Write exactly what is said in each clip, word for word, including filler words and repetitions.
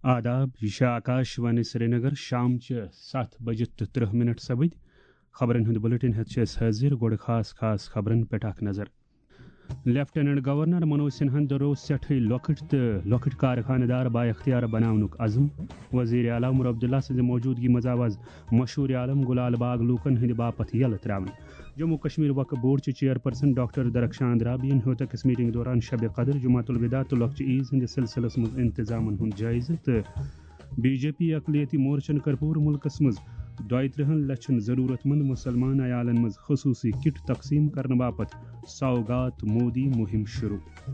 آداب، یہ چھِ آکاش وانی سرینگر، شام چہِ ستھ بجہِ تہٕ ترٕہ منٹ سپٕدۍ۔ خبرن ہُنٛد بلیٹن ہٮ۪تھ چھِ أسۍ حٲضِر، گۄڈٕ خاص خاص خبرن پٮ۪ٹھ اکھ نظر۔ لیفٹیننٹ گورنر منوج سنہاہن دۄہروو سٮ۪ٹھٕے لۄکٕٹۍ تہٕ لۄکٕٹۍ کارخانہٕ دار بااختیار بناونُک عزم۔ وزیر اعلیٰ عمر عبداللہ سٕنٛزِ موجودگی منٛز آو از مشہوٗر عالم گُلال باغ لوٗکن ہٕنٛدِ باپتھ یلہٕ ترٛاونہٕ۔ جموں کشمیر وقف بورڈ چہِ چیئرپرسن ڈاکٹر درخشان درابین ہیوٚت أکِس میٹنگ دوران شب قدر، جمعۃ الوداع تہٕ لۄکچہِ عیز ہٕنٛدِس سلسلس منٛز انتظامن ہُنٛد جٲیزٕ تہٕ بی جے پی اقلیتی مورچن کٔر پوٗرٕ مُلکس منٛز دۄیہِ ترٕہن لچھن ضروٗرت مند مُسلمان عیالن منٛز خصوٗصی کٹ تقسیٖم کرنہٕ باپتھ سوگات مودی مُہِم شروٗع۔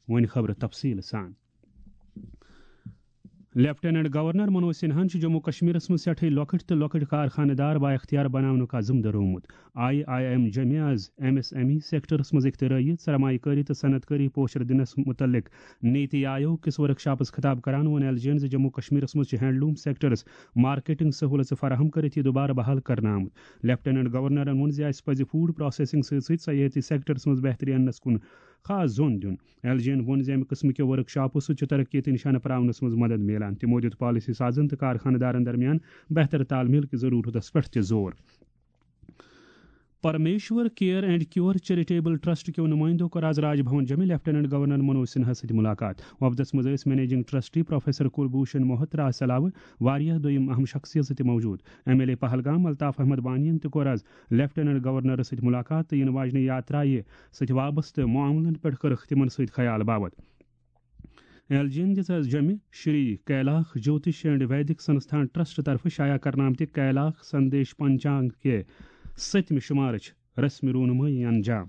وۄنۍ خبرٕ تفصیٖل سان۔ لیفٹیننٹ گورنر منوج سنہاہن چھُ جموں کشمیرس منٛز سٮ۪ٹھٕے لۄکٕٹۍ تہٕ لۄکٕٹۍ کارخانہٕ دار بااختیار بناونُک عزم دۄہرومُت۔ آئی آئی ایم جمعہ از M S M E sectors منٛز اختراعی، سرمایہ کٲری تہٕ صنعت کٲری پوچھر دِنس متعلق نیتی آیوگ کِس ورکشاپس خطاب کران ووٚن ایل جی ین زِ جموں کشمیرس منٛز چھِ ہینڈلوم سیکٹرس مارکیٹنگ سہولژٕ فراہم کٔرِتھ یہِ دوبارٕ بحال کرنہٕ آمُت۔ لیفٹیننٹ گورنرن ووٚن زِ اسہِ پزِ فوڈ پروسیسنگ سۭتۍ سۭتۍ سیاحتی سیکٹرس منٛز بہتری اننس کُن خاص زون دیُن۔ ایل جی ین ووٚن زِ امہِ قٕسمہٕ کیو ورکشاپو سۭتۍ چھُ ترقی تہٕ نشانہٕ پراونس منٛز مدد میلان۔ تِمو دیُت پالیسی سازن تہٕ کارخانہٕ دارن درمیان بہتر تال میل کہِ ضرورتس پٮ۪ٹھ تہِ زور۔ Parmeshwar care and cure charitable trust کیو نمائندو کٔر آز راج بھون جمع لیفٹیننٹ گورنر منوج سنہا سۭتۍ ملاقات۔ وفدس منٛز ٲسۍ managing trustee professor Kulbhushan Mohtra علاوٕ واریاہ دوٚیِم اہم شخصیژٕ تہِ موجود۔ M L A Pahalgam Altaf Ahmad وانین تہِ کوٚر آز لیفٹیننٹ گورنرس سۭتۍ ملاقات تہٕ یِنہٕ واجنہِ یاترایہِ سۭتۍ وابستہٕ معاملن پٮ۪ٹھ کٔرٕکھ تِمن سۭتۍ خیال باوت۔ ایل جی ین دِژ از جمہِ Shri کیلاکھ جوتش and Vedic Sansthan trust طرفہٕ شایع کرنہٕ آمتہِ کیلاکھ سندیش پنچانگ کہِ ستمہِ شمارٕچ رسمی رونمٲیی انجام۔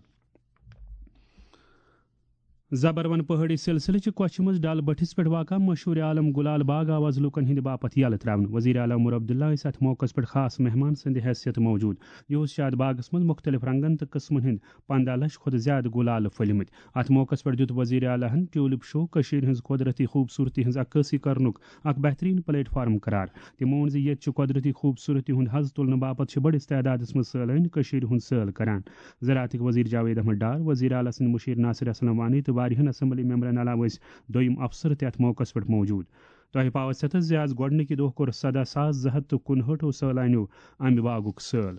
زبروَن پہٲڑی سلسلہٕ چہِ کۄچھِ منٛز ڈل بٔٹھِس پٮ۪ٹھ واقع مشہوٗر عالم گُلال باغ آو از لوٗکن ہٕنٛدِ باپتھ یلہٕ ترٛاونہٕ۔ وزیر اعلیٰ عمر عبداللہ ٲسۍ اتھ موقعس پٮ۪ٹھ خاص مہمان سٕنٛدِ حیثیت موجود۔ یہِ اوس شاد باغس منٛز مُختٔلِف رنگن تہٕ قٕسمن ہٕنٛدۍ پنٛداہ لچھ کھۄتہٕ زیادٕ گُلالہٕ پھٔلۍمٕتۍ۔ اتھ موقعس پٮ۪ٹھ دیُت وزیر اعلیٰ ہن ٹیولپ شو کٔشیٖرِ ہٕنٛز قۄدرتی خوٗبصوٗرتی ہٕنٛز عکٲسی کرنُک اکھ بہتریٖن پلیٹ فارم قرار۔ تِمو ووٚن زِ ییٚتہِ چھِ قۄدرتی خوٗبصوٗرتی ہُنٛد حظ تُلنہٕ باپتھ چھِ بٔڑِس تعدادس منٛز سٲلٲنۍ کٔشیٖرِ ہُنٛد سٲل کران۔ زراعتٕکۍ وزیر جاوید احمد ڈار، وزیر اعلیٰ سٕنٛدۍ مُشیر ناصر اسلم وانی تہٕ واریاہن اسمبلی ممبرن علاوٕ ٲسۍ دوٚیِم افسر تہِ اتھ موقعس پٮ۪ٹھ موجود۔ تۄہہِ پاوس یتھس زِ از گۄڈٕنِکہِ دۄہ کوٚر سدہ ساس زٕ ہتھ تہٕ کُنہٲٹھو سٲلانیو امہِ باغُک سٲل۔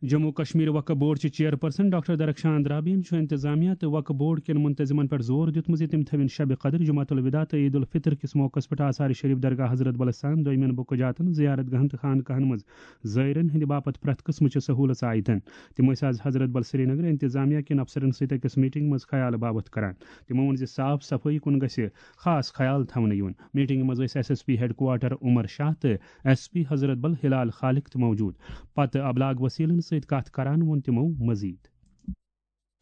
جموں کشمیر وقف بورڈ چہِ چیئرپرسن ڈاکٹر درخشان درابین چھُ انتظامیہ تہٕ وقف بورڈ کٮ۪ن منتظمن پٮ۪ٹھ زور دیُتمُت زِ تِم تھٲوِن شب قدر، جمعۃ الوداع تہٕ عید الفطر کِس موقعس پٮ۪ٹھ آثار شریف، درگاہ حضرت بل استان، دویمٮ۪ن بُقعہ جاتن، زیارت گاہن تہٕ خانقاہن منٛز زائرن ہٕنٛدِ باپتھ پرٛٮ۪تھ قٕسمٕچہِ سہوٗلژ آیتن۔ تِم ٲسۍ آز حضرت بل سرینگر انتظامیہ کٮ۪ن افسرن سۭتۍ أکِس میٹنگ منٛز خیال باوتھ کران۔ تِمو ووٚن زِ صاف صفٲیی کُن گژھِ خاص خیال تھاونہٕ یُن۔ میٹنگہِ منٛز ٲسۍ S S P headquarter Umar Shah تہٕ ایس پی حضرت بل ہلال خالق تہِ موجود۔ پتہٕ ابلاغ وسیلن سۭتۍ کتھ کران ووٚن تِمو مزید۔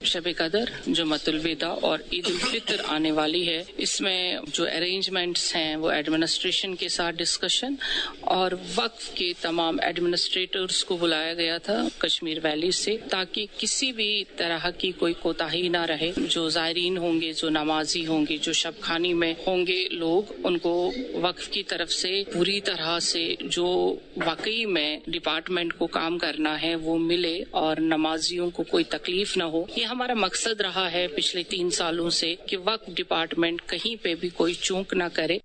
شب قدر، جمعۃ الوداع اور عید الفطر آنے والی ہے۔ اس میں جو ارینجمنٹس ہیں، وہ ایڈمنسٹریشن کے ساتھ ڈسکشن اور وقف کے تمام ایڈمنسٹریٹرز کو بلایا گیا تھا کشمیر ویلی سے، تاکہ کسی بھی طرح کی کوئی کوتاہی نہ رہے۔ جو زائرین ہوں گے، جو نمازی ہوں گے، جو شب خانی میں ہوں گے لوگ، ان کو وقف کی طرف سے پوری طرح سے جو واقعی میں ڈپارٹمنٹ کو کام کرنا ہے، وہ ملے اور نمازیوں کو کوئی تکلیف نہ ہو۔ یہ ہمارا مقصد رہا ہے پچھلے تین سالوں سے کہ وقف ڈپارٹمنٹ کہیں پہ بھی کوئی چوک نہ کرے۔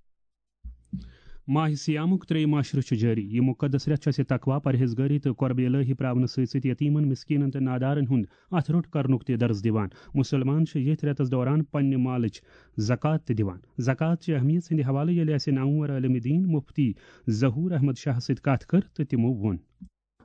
ماہ صیامُک ترٛیٚیِم عشرٕ چھُ جٲری۔ یہِ مُقدس رٮ۪تھ چھُ اَسہِ تقوا، پرہیزگٲری تہٕ قربِ الٰہی پراونہٕ سۭتۍ سۭتۍ یتیٖمن، مسکیٖنن تہٕ نادارن ہُنٛد اَتھٕ روٚٹ کرنُک تہِ درس دِوان۔ مُسلمان چھِ ییٚتھۍ رٮ۪تس دوران پننہِ مالٕچ زکوٰۃ تہِ دِوان۔ زکوٰۃ چہِ اہمیت ہٕنٛدِ حوالہٕ ییٚلہِ اَسہِ نامور عٲلمِ دیٖن مفتی ظہور احمد شاہ سۭتۍ کتھ کٔر تہٕ تِمو ووٚن۔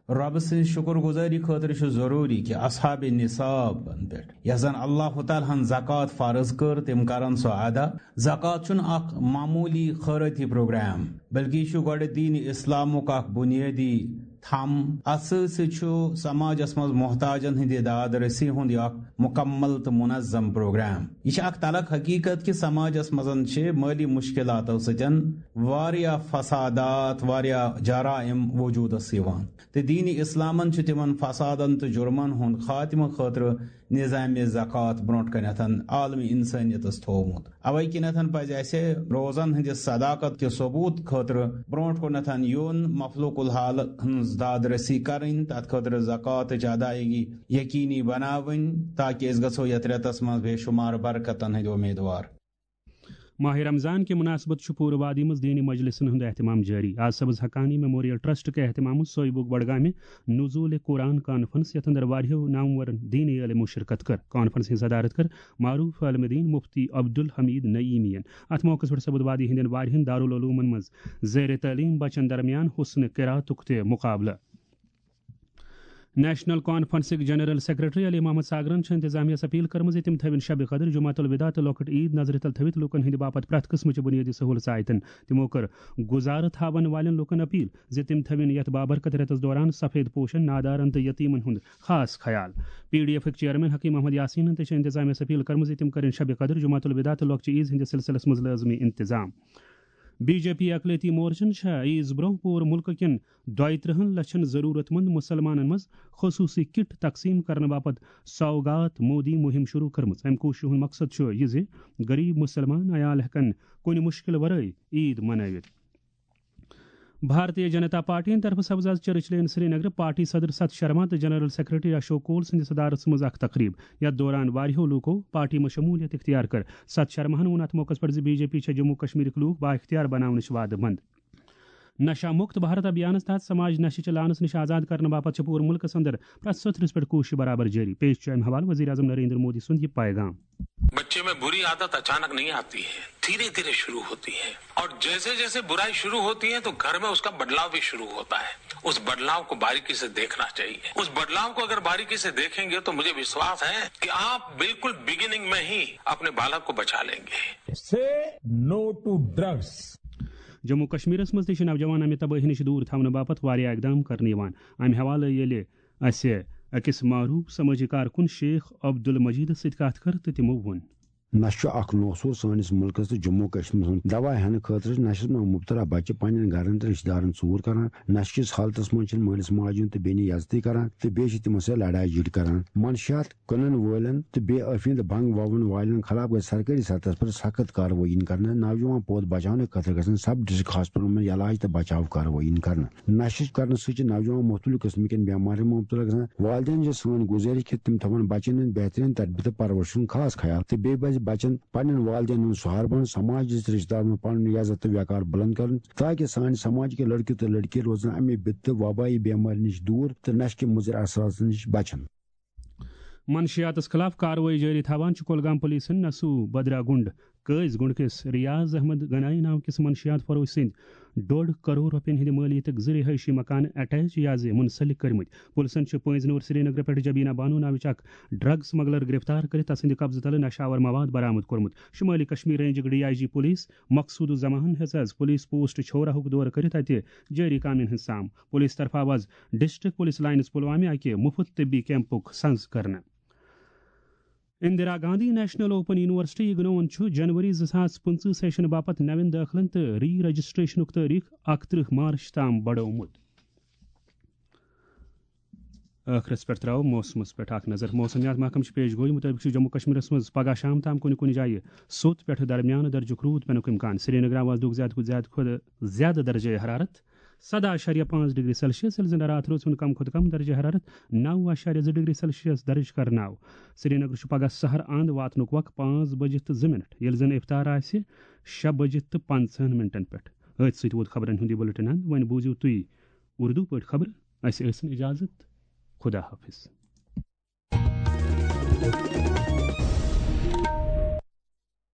رۄبہٕ سٕنٛز شُکر گُزٲری خٲطرٕ چھُ ضروٗری کہِ اصحاب نصابن پٮ۪ٹھ، یۄس زن اللہ تعالیٰ ہن زکوٰۃ فرض کٔر، تِم کرن سۄ ادا۔ زکوٰۃ چھُنہٕ اکھ معموٗلی خٲرٲتی پروگرام، بلکہِ یہِ چھُ گۄڈٕ دیٖن اسلامُک اکھ بُنیٲدی تھم۔ اتھ سۭتۍ سۭتۍ چھُ سماجس منٛز محتاجن ہٕنٛدِ داد رسی ہُنٛد یہِ اکھ مُکمل تہٕ منظم پروگرام۔ یہِ چھِ اکھ تلخ حقیقت کہِ سماجس منٛز چھِ مٲلی مشکلاتو سۭتۍ واریاہ فسادات، واریاہ جرائم وجودس یِوان۔ تہٕ دیٖن اسلامن چھُ تِمن فسادن تہٕ جُرمن ہُنٛد خاتمہٕ خٲطرٕ نظام زکوٰۃ برونٛٹھ کنٮ۪تھ عالم انسٲنیتس تھوومُت۔ اوے کِنٮ۪تھ پزِ اسہِ روزن ہٕنٛدِ صداقت کہِ ثبوت خٲطرٕ برونٛٹھ کُنتھ یُن، مخلوق الحال ہٕنٛز داد رسی کرٕنۍ، تتھ خٲطرٕ زکواتٕچ ادائیگی یقینی بناوٕنۍ، تاکہ أسۍ گژھو یتھ رٮ۪تس منٛز بے شمار برکتن ہٕنٛدۍ امیدوار۔ ماہِ رمضان کہِ مناسبت چھُ پوٗرٕ وادی منٛز دینی مجلسن ہُنٛد اہتمام جٲری۔ آز سبز حقانی میموریل ٹرسٹ کہِ اہتمام منٛز سویبُک بڈگامہِ نزول قرآن کانفرنس، یتھ اندر واریاہو نامور دینی عالمو شرکت کٔر۔ کانفرنس ہٕنٛز صدارت کٔر معروف عالم دین مفتی عبدالحمید نعیمی ین۔ اتھ موقعس پٮ۪ٹھ سپُد وادی ہٕنٛدٮ۪ن واریاہن دارالعلومن منٛز زیر تعلیم بچن درمیان حسن قراتُک تہِ مقابلہٕ۔ نیشنل کانفرنسٕکۍ جنرل سیکرٹری علی محمد ساگرن چھِ انتظامیہ یس اپیل کٔرمٕژ زِ تِم تھٲوِن شب قدر، جمعہ الوداع تہٕ لۄکٕٹ عید نظرِ تل تھٲوِتھ لوٗکن ہٕنٛدِ باپتھ پرٛٮ۪تھ قٕسمٕچہِ بُنیٲدی سہوٗلژٕ آیتن۔ تِمو کٔر گُزارٕ تھاون والٮ۪ن لوٗکن اپیل زِ تِم تھٲوِن یتھ بابرکت رٮ۪تس دوران سفید پوشن، نادارن تہٕ یتیمن ہُنٛد خاص خیال۔ پی ڈی ایفٕکۍ چیئرمین حکیم احمد یاسینن تہِ چھِ انتظامیہ یس اپیل کٔرمٕژ زِ تِم کٔرِن شب قدر، جمعہ الوداع تہٕ لۄکچہِ عید ہٕنٛدِس سلسلس منٛز لٲزمی انتظام۔ بی جے پی اقلیتی مورچن چھےٚ عیز برونٛہہ پوٗرٕ مُلکہٕ کٮ۪ن دۄیہِ ترٕٛہن لچھن ضروٗرت مند مُسلمانن منٛز خصوٗصی کٹ تقسیٖم کرنہٕ باپتھ سوگات مودی مُہِم شروٗع کٔرمٕژ۔ امہِ کوٗششہِ ہُنٛد مقصد چھُ یہِ زِ غریب مُسلمان عیال ہٮ۪کن کُنہِ مُشکِل ورٲے عید منٲوِتھ۔ بھارتیہ جنتا پارٹی ہٕنٛدِ طرفہٕ سپٕز آز چرچ لین سرینگر پارٹی صدر ستھ شرما تہٕ جنرل سیکرٹری اشوک کول سٕنٛدِ صدارتس منٛز اکھ تقریب، یتھ دوران واریاہو لوٗکو پارٹی منٛز شمولیت اختیار کٔر۔ ستھ شرماہن ووٚن اتھ موقعس پٮ۪ٹھ زِ بی جے پی چھےٚ جموں کشمیرٕکۍ لوٗکھ با اختیار بناونٕچ وعدٕ مند۔ نشہ مکت بھارت ابھیانس تحت سماج نشہ چہ لعنس نش آزاد کرنہٕ باپتھ چھِ پوٗرٕ مُلکس اندر پرٛٮ۪تھ ستھرِس پٮ۪ٹھ کوٗشش برابر جٲری۔ پیش چھُ امہِ حوالہٕ وزیر اعظم نریندر مودی سُنٛد یہِ پیغام۔ بچے میں बुरी आदत अचानक नहीं आती है, धीरे धीरे शुरू होती है। और जैसे जैसे बुराई शुरू होती है तो घर में उसका बदलाव भी शुरू होता है। उस बदलाव को बारीकी से देखना चाहिए। उस बदलाव को अगर बारीकी से देखेंगे तो मुझे विश्वास है कि आप बिल्कुल बिगिनिंग में ही अपने बालक को बचा लेंगे। Say no to drugs. Jammu کشمیرس منٛز تہِ چھِ نوجوان امہِ تبٲہی نِش دوٗر تھاونہٕ باپتھ واریاہ اقدام کرنہٕ یِوان۔ امہِ حوالہٕ ییٚلہِ اسہِ أکِس معروٗف سمٲجی کارکُن شیخ عبدالمجیدس سۭتۍ کتھ کٔر تہٕ تِمو ووٚن۔ نشہٕ چھُ اکھ نوسور سٲنِس مُلکس تہٕ جموں کشمیرس منٛز۔ دوا ہٮ۪نہٕ خٲطرٕ چھِ نشس منٛز مبتلا بچہِ پننٮ۪ن گرن تہٕ رشتہٕ دارن ژوٗر کران۔ نشہٕ کِس حالتس منٛز چھِنہٕ مٲلِس ماجہِ ہُنٛد تہٕ بیٚنہِ عزتٕے کران تہٕ بیٚیہِ چھِ تِمن سۭتۍ لڑایہِ جھڑ کران۔ منشیات کٕنن وٲلٮ۪ن تہٕ بے عٲفی تہٕ بنٛگ وَوَن والٮ۪ن خلاف گژھِ سرکٲری سطحس پٮ۪ٹھ سخت کاروٲیی یِنۍ کرنہٕ۔ نوجوان پوٗت بچاونہٕ خٲطرٕ گژھن سب ڈسٹرکٹ ہاسپٹلن منٛز علاج تہٕ بچاو کاروٲیی یِنۍ کرنہٕ۔ نشہٕ کرنہٕ سۭتۍ چھِ نوجوان مختلف قٕسمہٕ کٮ۪ن بٮ۪مارٮ۪ن منٛز مبتلا گژھان۔ والدین چھِ سٲنۍ گُزٲرِش کہِ تِم تھاوَن بچن ہٕنٛز بہتریٖن تربیت تہٕ پرورشہِ ہُنٛد خاص خیال تہٕ بیٚیہِ پزِ بچن پننٮ۪ن والدینن ہُنٛد سہارٕ بنُن، سماجس تہٕ رشتہٕ دارن منٛز پنُن عزت تہٕ وقار بلند کرُن، تاکہ سانہِ سماج کہِ لڑکہٕ تہٕ لڑکی روزن امہِ بِدتہٕ وبٲیی بٮ۪مارِ نِش دوٗر تہٕ نشہٕ کہِ مُضر اثراتن نِش بچن۔ منشیاتس خلاف کاروٲیی جٲری تھاوان چھِ کۄلگام پُلیٖسن نسو بدرا گُنڈ قٲضۍ گُنڈ کِس ریاض احمد گنایی ناو کِس منشیات فروش سٕنٛدۍ ڈوٚڈ کرور رۄپین ہٕنٛدِ مٲلیتٕکۍ زٕ رہٲیشی مکان اٹیچ یا زِ منسلک کٔرمٕتۍ۔ پُلسن چھِ پٲنٛزِ نور سرینگرٕ پٮ۪ٹھ جبینا بانو ناوٕچ اکھ ڈرگ سمگلر گرفتار کٔرِتھ تسٕنٛدِ قبضہٕ تلہٕ نشہٕ آور مواد برآمد کوٚرمُت۔ شمٲلی کشمیر رینجٕکۍ D I G police Maqsood ul-Zaman ہیٚژ آز پُلیٖس پوسٹ چھورہُک دورٕ کٔرِتھ اتہِ جٲری کامٮ۪ن ہٕنٛز سام۔ پُلیٖس طرفہٕ آو آز ڈسٹرکٹ پُلیٖس لائنس پُلوامہِ اکہِ مُفت طبی کیمپُک سنز کرنہٕ۔ Indira Gandhi national open university اگنوون چھُ جنوری زٕ ساس پٕنٛژٕہ سیشن باپتھ نوٮ۪ن دٲخلن تہٕ ری رجسٹریشنُک تٲریخ اکترٕہ مارچ تام بڑومُت۔ ٲخرس پٮ۪ٹھ ترٛاوو موسمس پٮ۪ٹھ اکھ نظر۔ موسمیات محکمہٕ چھِ پیش گویی مُطٲبِق چھُ جموں کشمیرس منٛز پگہہ شام تام کُنہِ کُنہِ جایہِ سوٚت پٮ۪ٹھٕ درمیانہٕ درجُک روٗد پٮ۪نُک امکان۔ سرینگر آواز دُک زیادٕ کھۄتہٕ زیادٕ کھۄتہٕ زیادٕ درجہ حرارت سداہ اعشاریہ پانٛژھ ڈگری سیلسیس، ییٚلہِ زن راتھ روز ہُنٛد کم کھۄتہٕ کم درجہ حرارت نو اعشاریہ زٕ ڈگری سیلسیس درج کرنہٕ آو۔ سرینگر چھُ پگہہ سحر اند واتنُک وق پانٛژھ بجہِ تہٕ زٕ منٹ، ییٚلہِ زن افطار آسہِ شےٚ بجہِ تہٕ پنٛژاہن منٹن پٮ۪ٹھ۔ أتھۍ سۭتۍ ووت خبرن ہُنٛد یہِ بلٹن اند۔ وۄنۍ بوٗزِو تُہۍ اردو پٲٹھۍ خبرٕ۔ اسہِ ٲسِن اجازت۔ خدا حافظ۔